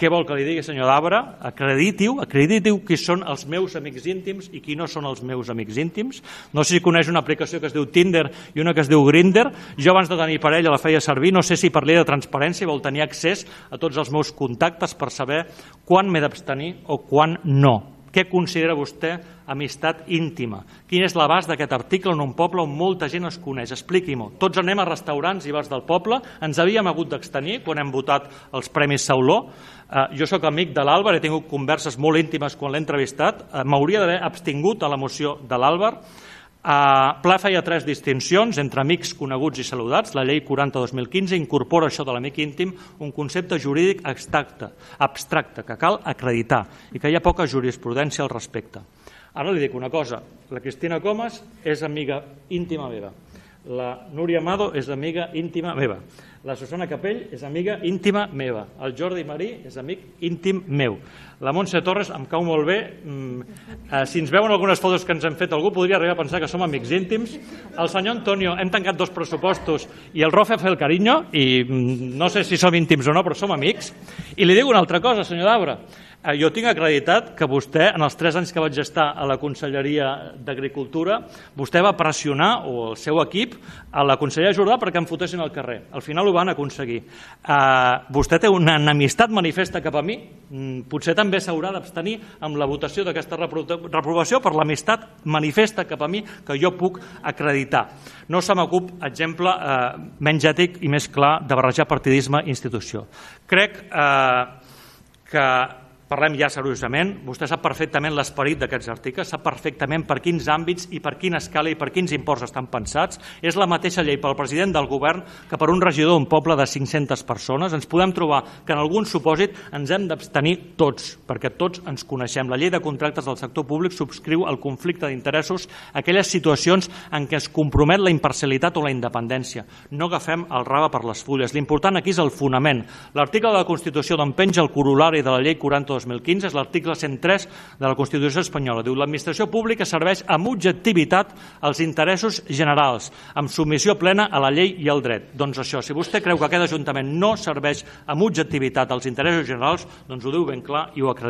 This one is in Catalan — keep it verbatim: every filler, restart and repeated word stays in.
Què vol que li digui, senyor Dabra? Acrediti-ho, acrediti-ho qui són els meus amics íntims i qui no són els meus amics íntims. No sé si coneix una aplicació que es diu Tinder i una que es diu Grindr. Jo abans de tenir parella la feia servir. No sé si per llei de transparència vol tenir accés a tots els meus contactes per saber quan m'he d'abstenir o quan no. Què considera vostè amistat íntima? Quin és l'abast d'aquest article en un poble on molta gent es coneix? Expliqui-m'ho. Tots anem a restaurants i bars del poble. Ens havíem hagut d'abstenir quan hem votat els Premis Sauló. Jo sóc amic de l'Àlvar, he tingut converses molt íntimes quan l'he entrevistat. M'hauria d'haver abstingut a la moció de l'Àlvar. Pla feia tres distincions entre amics coneguts i saludats. La llei quaranta dos mil quinze incorpora això de l'amic íntim, un concepte jurídic abstracte, abstracte que cal acreditar i que hi ha poca jurisprudència al respecte. Ara li dic una cosa, la Cristina Comas és amiga íntima meva, la Núria Amado és amiga íntima meva, la Susana Capell és amiga íntima meva, el Jordi Marí és amic íntim meu, la Montse Torres em cau molt bé, si ens veuen algunes fotos que ens hem fet algú podria arribar a pensar que som amics íntims, el senyor Antonio, hem tancat dos pressupostos i el Rofe fa el carinyo i no sé si som íntims o no però som amics, i li dic una altra cosa, senyor Dabra. Jo tinc acreditat que vostè, en els tres anys que vaig estar a la Conselleria d'Agricultura, vostè va pressionar, o el seu equip, a la consellera Jordà perquè em fotessin al carrer. Al final ho van aconseguir. Vostè té una enemistat manifesta cap a mi, potser també s'haurà d'abstenir amb la votació d'aquesta reprovació per l'amistat manifesta cap a mi que jo puc acreditar. No se m'acut exemple menys ètic i més clar de barrejar partidisme i institució. Crec que parlem ja seriosament, vostè sap perfectament l'esperit d'aquests articles, sap perfectament per quins àmbits i per quina escala i per quins imports estan pensats. És la mateixa llei pel president del govern que per un regidor d'un poble de cinc-centes persones. Ens podem trobar que en algun supòsit ens hem d'abstenir tots, perquè tots ens coneixem. La llei de contractes del sector públic subscriu el conflicte d'interessos a aquelles situacions en què es compromet la imparcialitat o la independència. No agafem el rave per les fulles. L'important aquí és el fonament. L'article de la Constitució d'on penja el corol·lari de la llei quaranta dos mil quinze és l'article cent tres de la Constitució espanyola. Diu: l'administració pública serveix amb objectivitat als interessos generals, amb submissió plena a la llei i al dret. Doncs això, si vostè creu que aquest Ajuntament no serveix amb objectivitat als interessos generals, doncs ho diu ben clar i ho acredita.